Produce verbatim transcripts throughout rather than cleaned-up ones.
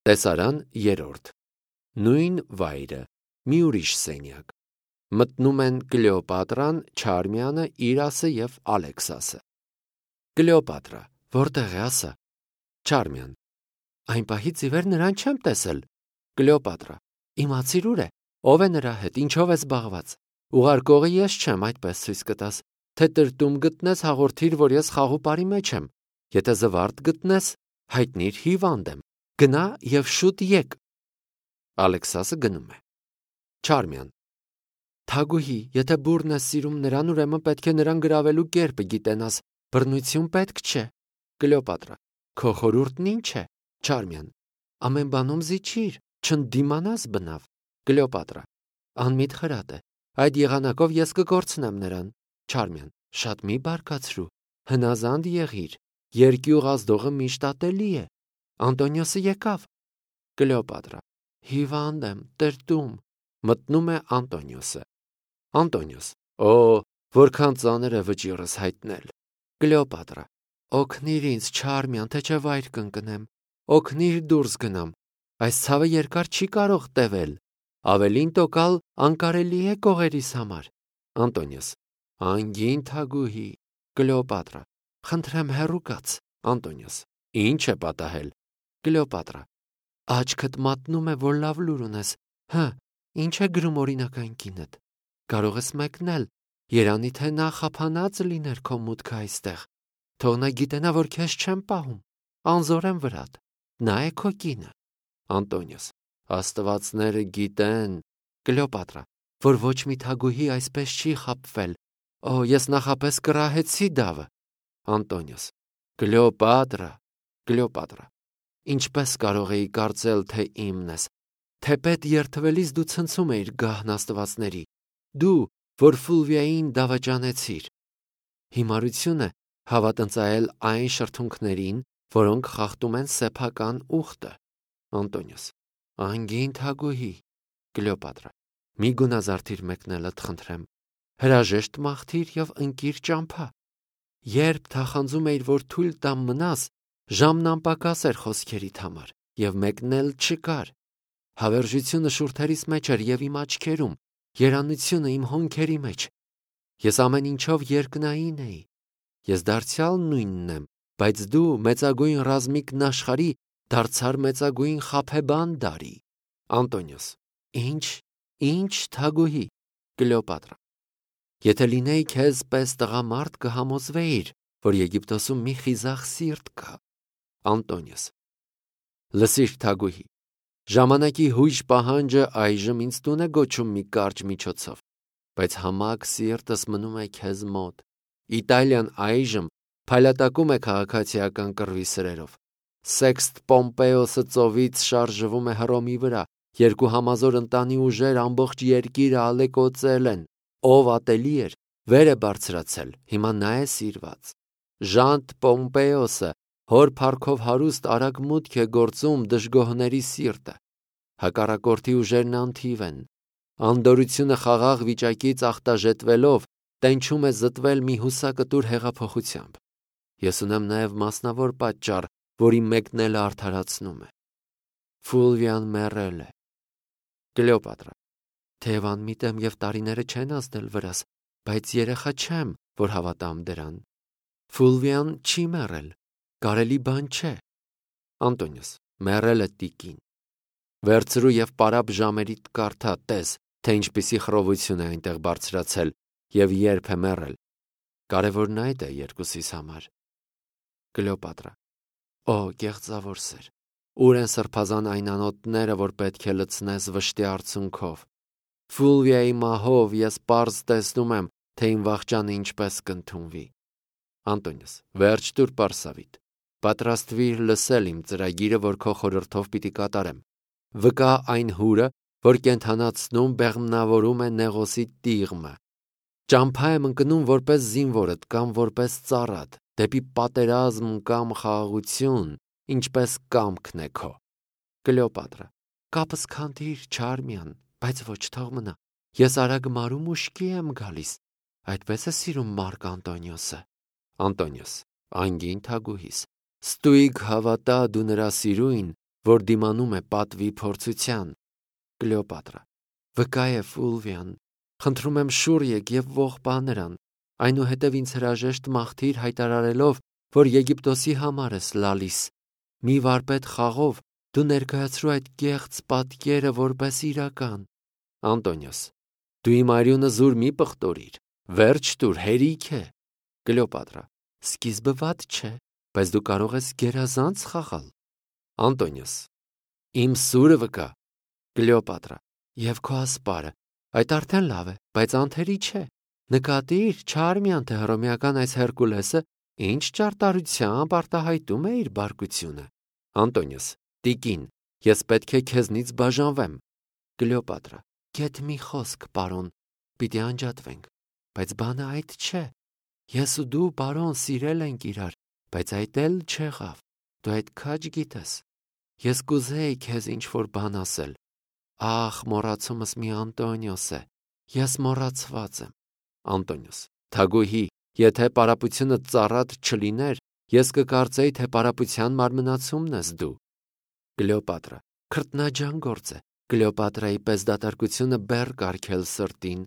Տեսարան երրորդ։ Նույն վայրը, մի ուրիշ սենյակ։ Մտնում են Կլեոպատրան, Չարմյանը, Իրասը և Ալեքսասը։ Կլեոպատրա, որտեղ է ասա։ Չարմյան, այն պահից ի վեր նրան չեմ տեսել։ Կլեոպատրա, իմացիր ուր է, ով է նրա հետ, ինչով է զբաղված։ Ուղարկողը ես չեմ, այդպես ցույց կտաս, թե տրտում գտնես, հաղորդիր, որ ես խաղուպարի մեջ եմ։ Եթե զվարթ գտնես, հայտնիր հիվանդ եմ։ Գնա և շուտ եկ։ Ալեքսասը գնում է։ Չարմյան, թագուհի, եթե բուռն ես սիրում նրան, ուրեմն պետք է նրան գրավելու կերպը գիտենաս, բռնություն պետք չէ։ Կլեոպատրա, քո խորհուրդն ինչ է։ Չարմյան, ամեն բանում զիջիր, չընդդիմանաս բնավ։ Կլեոպատրա, անմիտ խրատ է, այդ եղանակով ես կկորցնեմ նրան։ Չարմյան, շատ մի բարկացրու, հնազանդ եղիր, երկյուղ ազդողը միշտ ատելի է։ Անտոնիոսը եկավ։ Կլեոպատրա, հիվանդ եմ, տրտում։ Մտնում է Անտոնիոսը։ Անտոնիոս, օ, որքան ծանր է վճիռս հայտնել։ Կլեոպատրա, օգնիր ինձ, Չարմյան, թե չէ վայր կընկնեմ, օգնիր դուրս գնամ, այս ցավը երկար չի կարող տևել, ավելին տոկալ անկարելի է կողերիս համար։ Անտոնիոս, անգին թագուհի։ Կլեոպատրա, խնդրեմ հեռու կաց։ Անտոնիոս, ինչ է պատահել։ Կլեոպատրա, աչքդ մատնում է, որ լավ լուր ունես։ Հը, ինչ է գրում օրինական կինդ։ Կարող ես մեկնել, երանի թե նա խափանած լիներ քո մուտքը այստեղ։ Թող նա գիտենա, որ քեզ չեմ պահում, անզոր եմ վրատ, նա է քո կինը։ Անտոնիոս, աստվածները գիտեն։ Կլեոպատրա, որ ոչ մի թագուհի այսպես չի խաբվել։ Օ, ես նախապես կռահեցի դավը։ Անտոնիոս, Կլեոպատրա, Կլեոպատրա, ինչպես կարող էի կարծել, թե իմն ես։ Թեպետ երդվելիս դու ցնցում էիր գահն աստվածների, դու, որ Ֆուլվիային դավաճանեցիր։ Հիմարություն է հավատ ընծայել այն շրթունքներին, որոնք խախտում են սեփական ուխտը։ Անտոնիոս, անգին թագուհի։ Կլեոպատրա, մի գունազարդիր մեկնելդ խնդրեմ, հրաժեշտ մաղթիր և ընկիր ճամփա։ Երբ թախանձում էիր, որ թույլ տամ մնաս, ժամն անպակաս էր խոսքերիդ համար, և մեկնել չկար։ Հավերժությունը շուրթերիս մեջ էր և իմ աչքերում, երանությունը իմ հոնքերի մեջ։ Ես ամեն ինչով երկնային էի։ Ես դարձյալ նույնն եմ, բայց դու մեծագույն ռազմիկն աշխարհի դարձար մեծագույն խաբեբան դարի։ Անտոնիոս, ինչ, ինչ թագուհի։ Կլեոպատրա, եթե լինեի քեզ պես տղամարդ կհամոզվեիր, որ Եգիպտոսում մի խիզախ սիրտ կա։ Անտոնիոս, լսիր թագուհի, ժամանակի հույժ պահանջը այժմ ինձ տուն է գոչում մի կարճ միջոցով, բայց համակ սիրտս մնում է քեզ մոտ։ Իտալիան այժմ փայլատակում է քաղաքացիական կռվի սրերով։ Սեքստ Պոմպեոսը ծովից շարժվում է Հռոմի վրա, երկու համազոր ընտանի ուժեր ամբողջ երկիրը ալեկոծել են, ով ատելի էր, վեր է բարձրացել, հիմա նա է սիրված։ Ժանտ Պոմպեոսը հոր փառքով հարուստ արագ մուտք է գործում դժգոհների սիրտը։ Հակառակորդի ուժերն անթիվ են։ Անդորությունը խաղաղ վիճակից ախտաժետվելով տենչում է զտվել մի հուսակտուր հեղափոխությամբ։ Ես ունեմ նաև մասնավոր պատճառ, որի մեկնելը արդարացնում է։ Ֆուլվիան մեռել է։ Կլեոպատրա, թեև անմիտ եմ և տարիները չեն ազդել վրաս, բայց երեխա չեմ, որ հավատամ դրան։ Ֆուլվիան չի մեռել, կարելի բան չէ։ Անտոնիոս, մեռել է տիկին։ Վերցրու և պարապ ժամերիդ կարդա, տես, թե ինչպիսի խռովություն է այնտեղ բարձրացել և երբ է մեռել։ Կարևորն այդ է երկուսիս համար։ Կլեոպատրա, օ, գեղձավոր սեր, ուր են սրբազան այն անոթները, որ պետք է լցնես վշտի արցունքով։ Ֆուլվիայի մահով ես պարզ տեսնում եմ, թե իմ վախճանը ինչպես կընդունվի։ Անտոնիոս, վերջ տուր պարսավիտ, պատրաստվիր լսել իմ ծրագիրը, որ քո խորհրդով պիտի կատարեմ։ Վկա այն հուրը, որ կենդանացնում բեղմնավորում է Նեղոսի տիղմը։ Ճամփա եմ ընկնում որպես զինվորդ կամ որպես ծառատ, դեպի պատերազմ կամ խաղաղություն, ինչպես կամքն է քո։ Կլեոպատրա, կապս քանդիր, Չարմյան, բայց ոչ թող մնա։ Ես արագ մարում ուշքի եմ գալիս։ Այդպես է սիրում Մարկ Անտոնիոսը։ Անտոնիոս, անգին թագուհիս, ստույգ հավատա դու նրա սիրույն, որ դիմանում է պատվի փորձության։ Կլեոպատրա. Վկա է Ֆուլվիան, խնդրում եմ շուռ եկ եւ ողբա նրան, այնուհետև ինձ հրաժեշտ մաղթիր հայտարարելով, որ Եգիպտոսի համար ես լալիս։ Մի վարպետ խաղով դու ներկայացրու այդ կեղծ պատկերը որպես իրական։ Անտոնիոս. Դու իմ արյունը զուր մի պղտորիր, վերջ տուր, հերիք է։ Կլեոպատրա. Սկիզբը վատ չէ, բայց դու կարող ես գերազանց խաղալ։ Անտոնիոս. Իմ սուրը վկա։ Կլեոպատրա. Եվ քո ասպարը, այդ արդեն լավ է, բայց անթերի չէ։ Նկատիր, Չարմիան թե հռոմեական այս Հերկուլեսը ինչ ճարտարությամբ արտահայտում է իր բարկությունը։ Անտոնիոս. Տիկին, ես պետք է քեզնից բաժանվեմ։ Կլեոպատրա. Գեթ մի խոսք, պարոն, պիտի անջատվենք, բայց բանը այդ չէ։ Ես ու դու, պարոն, սիրել ենք իրար, բայց այդ էլ չեղավ։ Դու այդ քաջ գիտես։ Ես կուզեի քեզ ինչ-որ բան ասել։ Ախ, մոռացումս մի Անտոնիոս է։ Ես մոռացված եմ։ Անտոնիոս. Թագուհի, եթե պարապությունը ծառատ չլիներ, ես կկարծեի, թե պարապության մարմնացումն ես դու։ Կլեոպատրա. Քրտնաջան գործ է։ Կլեոպատրայի պես դատարկությունը բեռ կարգել սրտին։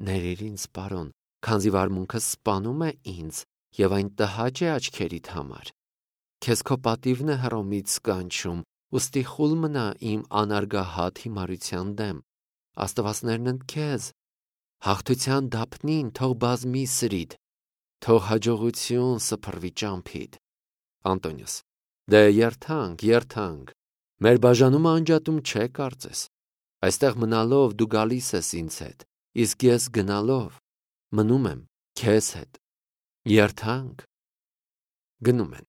Ներիր ինձ, պարոն, քանզի վարմունքս սպանում է ինձ եւ այն տհաճ է աչքերիդ համար։ Քեզ քո պատիվն է Հռոմից կանչում, ուստի խուլ մնա իմ անարգահատ հիմարության դեմ։ Աստվածներն ընդ քեզ։ Հաղթության դափնին թող բազմի սրիդ, թող հաջողություն սփռվի ճամփիդ։ Անտոնիոս. Դե երթանք, երթանք։ Մեր բաժանումը անջատում չէ, կարծես։ Այստեղ մնալով դու գալիս ես ինձ հետ, իսկ ես գնալով մնում եմ քեզ հետ։ Երթանք։ Գնում են։